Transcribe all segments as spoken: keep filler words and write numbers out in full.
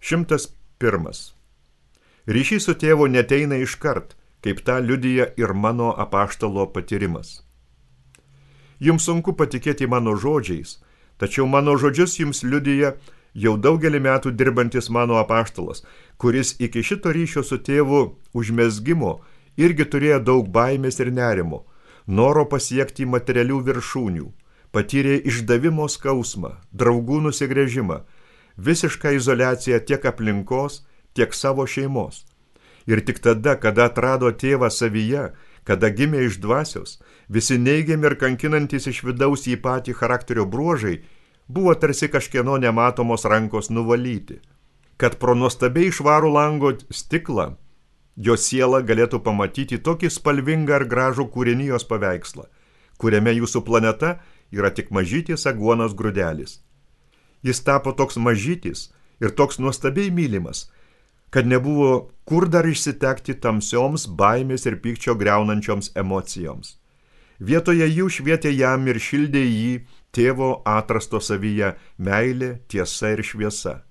Šimtas pirmas. Ryšys su tėvu neteina iškart, kaip tą liudija ir mano apaštalo patyrimas. Jums sunku patikėti mano žodžiais, tačiau mano žodžius jums liudija jau daugelį metų dirbantis mano apaštalas, kuris iki šito ryšio su tėvu užmezgimo irgi turėjo daug baimės ir nerimo, noro pasiekti materialių viršūnių, patyrė išdavimo skausmą, draugų nusigręžimą, visišką izoliaciją tiek aplinkos, tiek savo šeimos. Ir tik tada, kada atrado tėvą savyje, kada gimė iš dvasios, visi neigiami ir kankinantys iš vidaus į patį charakterio bruožai buvo tarsi kažkieno nematomos rankos nuvalyti, kad pro nuostabiai švarų lango stiklą jo siela galėtų pamatyti tokį spalvingą ir gražų kūrinijos paveikslą, kuriame jūsų planeta yra tik mažytis aguonos grūdelis. Jis tapo toks mažytis ir toks nuostabiai mylimas, kad nebuvo kur dar išsitekti tamsioms baimės ir pykčio griaunančioms emocijoms. Vietoje jų švietė jam ir šildė jį tėvo atrasto savyje meilė, tiesa ir šviesa.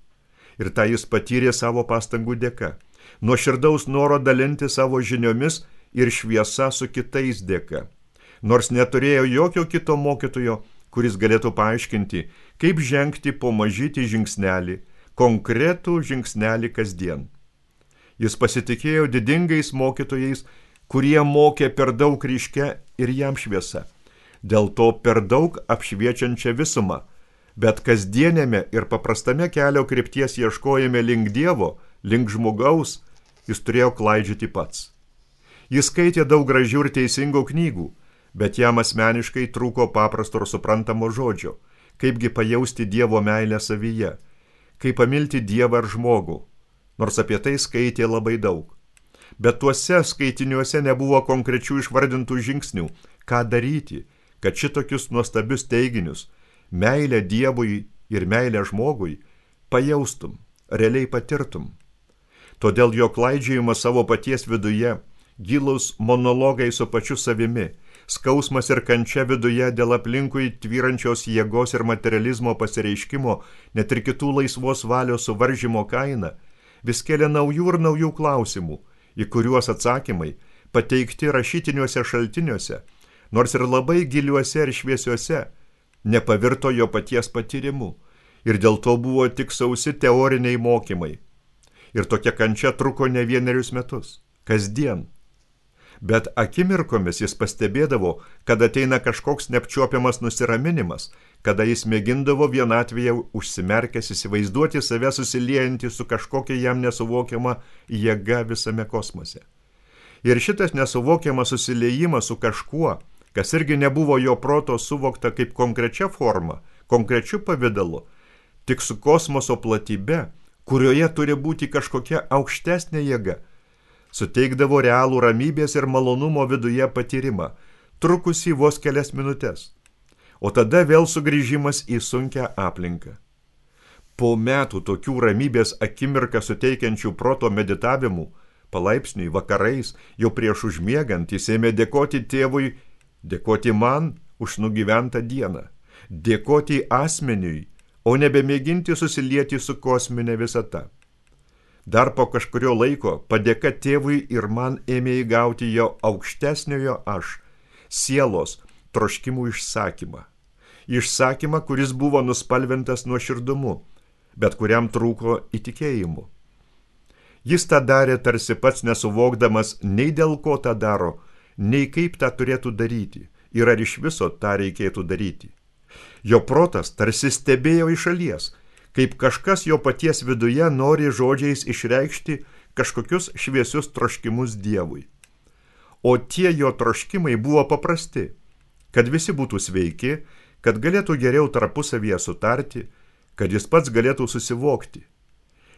Ir tą jis patyrė savo pastangų dėka, nuo širdaus noro dalinti savo žiniomis ir šviesa su kitais dėka, nors neturėjo jokio kito mokytojo, kuris galėtų paaiškinti, kaip žengti po mažytį žingsnelį, konkretų žingsnelį kasdien. Jis pasitikėjo didingais mokytojais, kurie mokė per daug ryškia ir jam šviesa, dėl to per daug apšviečiančią visumą, bet kasdienėme ir paprastame kelio krypties ieškojime link Dievo, link žmogaus, jis turėjo klaidžioti pats. Jis skaitė daug gražių ir teisingų knygų, bet jam asmeniškai trūko paprasto ir suprantamo žodžio, kaipgi pajausti Dievo meilę savyje, kaip pamilti Dievą ir žmogų, nors apie tai skaitė labai daug. Bet tuose skaitiniuose nebuvo konkrečių išvardintų žingsnių, ką daryti, kad šitokius nuostabius teiginius, meilę Dievui ir meilę žmogui, pajaustum, realiai patirtum. Todėl jo klaidžiojimas savo paties viduje, gilus monologai su pačiu savimi, skausmas ir kančia viduje dėl aplinkui tvyrančios jėgos ir materializmo pasireiškimo, net ir kitų laisvos valios suvaržymo kaina, vis kelia naujų ir naujų klausimų, į kuriuos atsakymai pateikti rašytiniuose šaltiniuose, nors ir labai giliuose ir šviesiuose, nepavirto jo paties patyrimu ir dėl to buvo tik sausi teoriniai mokymai. Ir tokia kančia truko ne vienerius metus, kasdien. Bet akimirkomis jis pastebėdavo, kad ateina kažkoks neapčiuopiamas nusiraminimas, kada jis mėgindavo vienatvėje užsimerkęs įsivaizduoti save susiliejantį su kažkokia jam nesuvokiama jėga visame kosmose. Ir šitas nesuvokiamas susiliejimas su kažkuo, kas irgi nebuvo jo proto suvokta kaip konkrečia forma, konkrečiu pavidalu, tik su kosmoso platybe, kurioje turi būti kažkokia aukštesnė jėga, suteikdavo realų ramybės ir malonumo viduje patyrimą, trukusį vos kelias minutės, o tada vėl sugrįžimas į sunkią aplinką. Po metų tokių ramybės akimirką suteikiančių proto meditavimų, palaipsniui vakarais, jau prieš užmiegant, jis ėmė dėkoti tėvui, dėkoti man už nugyventą dieną, dėkoti asmeniui, o nebemėginti susilieti su kosminė visata. Dar po kažkurio laiko padėka tėvui ir man ėmė įgauti jo aukštesniojo aš, sielos troškimų išsakymą. Išsakymą, kuris buvo nuspalvintas nuoširdumu, bet kuriam trūko įtikėjimu. Jis tą darė tarsi pats nesuvokdamas nei dėl ko tą daro, nei kaip tą turėtų daryti ir ar iš viso tą reikėtų daryti. Jo protas tarsi stebėjo iš šalies, kaip kažkas jo paties viduje nori žodžiais išreikšti kažkokius šviesius troškimus Dievui. O tie jo troškimai buvo paprasti, kad visi būtų sveiki, kad galėtų geriau tarpusavyje sutarti, kad jis pats galėtų susivokti.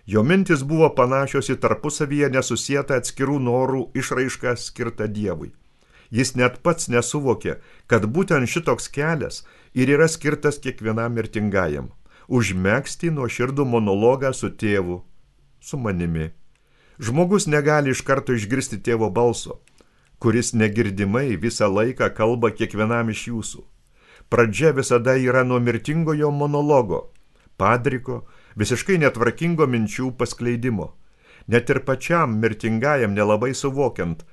Jo mintis buvo panašios į tarpusavyje nesusietą atskirų norų išraišką skirtą Dievui. Jis net pats nesuvokė, kad būtent šitoks kelias ir yra skirtas kiekvienam mirtingajam – užmegzti nuoširdų monologą su tėvu, su manimi. Žmogus negali iš karto išgirsti tėvo balso, kuris negirdimai visą laiką kalba kiekvienam iš jūsų. Pradžia visada yra nuo mirtingojo monologo, padriko, visiškai netvarkingo minčių paskleidimo, net ir pačiam mirtingajam nelabai suvokiant,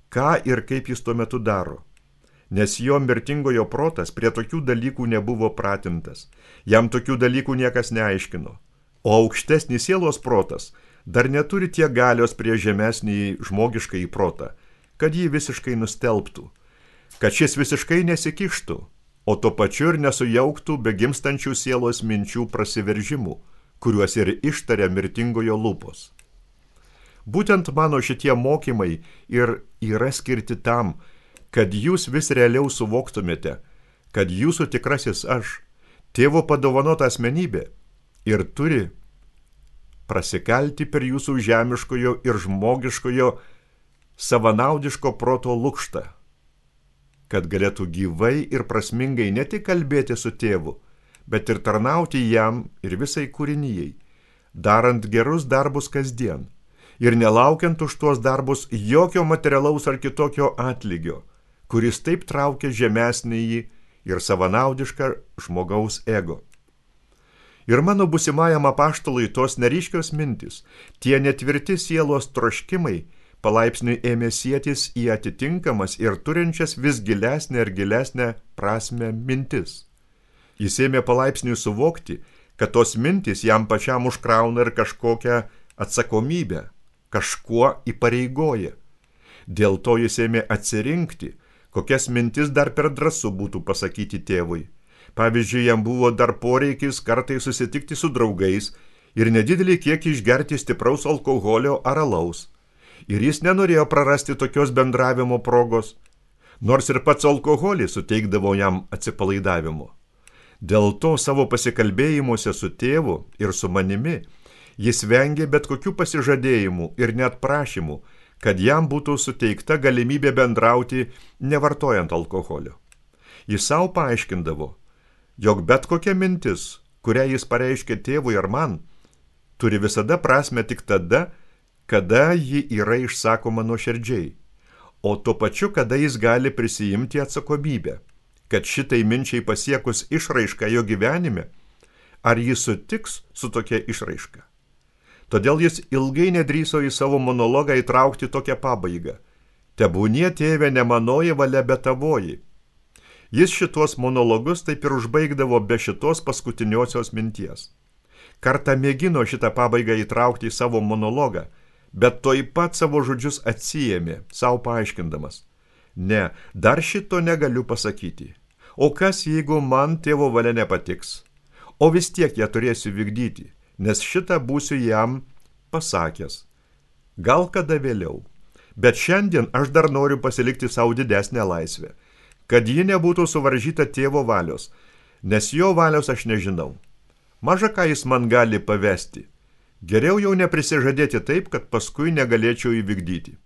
ką ir kaip jis tuo metu daro. Nes jo mirtingojo protas prie tokių dalykų nebuvo pratintas, jam tokių dalykų niekas neaiškino, o aukštesnis sielos protas dar neturi tiek galios prie žemesnį žmogiškąjį protą, kad jį visiškai nustelbtų, kad šis visiškai nesikištų, o tuo pačiu ir nesujauktų begimstančių sielos minčių prasiveržimų, kuriuos ir ištaria mirtingojo lūpos. Būtent mano šitie mokymai ir yra skirti tam, kad jūs vis realiau suvoktumėte, kad jūsų tikrasis aš, tėvo padovanota asmenybė, ir turi prasikalti per jūsų žemiškojo ir žmogiškojo savanaudiško proto lukštą, kad galėtų gyvai ir prasmingai ne tik kalbėti su tėvu, bet ir tarnauti jam ir visai kūrinijai, darant gerus darbus kasdien ir nelaukiant už tuos darbus jokio materialaus ar kitokio atlygio, kuris taip traukia žemesnįjį ir savanaudišką žmogaus ego. Ir mano būsimajam apaštalui tos neryškios mintis, tie netvirti sielos troškimai, palaipsniui ėmė sietis į atitinkamas ir turinčias vis gilesnę ir gilesnę prasmę mintis. Jis ėmė palaipsniui suvokti, kad tos mintis jam pačiam užkrauna ir kažkokią atsakomybę, kažkuo įpareigoja. Dėl to jis ėmė atsirinkti, kokias mintis dar per drąsu būtų pasakyti tėvui. Pavyzdžiui, jam buvo dar poreikis kartai susitikti su draugais ir nedidelį kiekį išgerti stipraus alkoholio ar alaus. Ir jis nenorėjo prarasti tokios bendravimo progos, nors ir pats alkoholis suteikdavo jam atsipalaidavimo. Dėl to savo pasikalbėjimuose su tėvu ir su manimi jis vengė bet kokių pasižadėjimų ir net prašymų, kad jam būtų suteikta galimybė bendrauti nevartojant alkoholio. Jis savo paaiškindavo, jog bet kokia mintis, kurią jis pareiškė tėvui ar man, turi visada prasmę tik tada, kada ji yra išsakoma nuoširdžiai, o tuo pačiu, kada jis gali prisijimti atsakomybę, kad šitai minčiai pasiekus išraišką jo gyvenime, ar jis sutiks su tokia išraiška. Todėl jis ilgai nedrįso į savo monologą įtraukti tokią pabaigą. Tebūnie tėve ne manoji valia, bet tavoji. Jis šitos monologus taip ir užbaigdavo be šitos paskutiniosios minties. Kartą mėgino šitą pabaigą įtraukti į savo monologą, bet toj pat savo žodžius atsiėmė, savo paaiškindamas. Ne, dar šito negaliu pasakyti. O kas, jeigu man tėvo valia nepatiks? O vis tiek ją turėsiu vykdyti, nes šitą būsiu jam pasakęs. Gal kada vėliau, bet šiandien aš dar noriu pasilikti savo didesnę laisvę, kad ji nebūtų suvaržyta tėvo valios, nes jo valios aš nežinau. Maža ką jis man gali pavesti. Geriau jau neprisižadėti taip, kad paskui negalėčiau įvykdyti.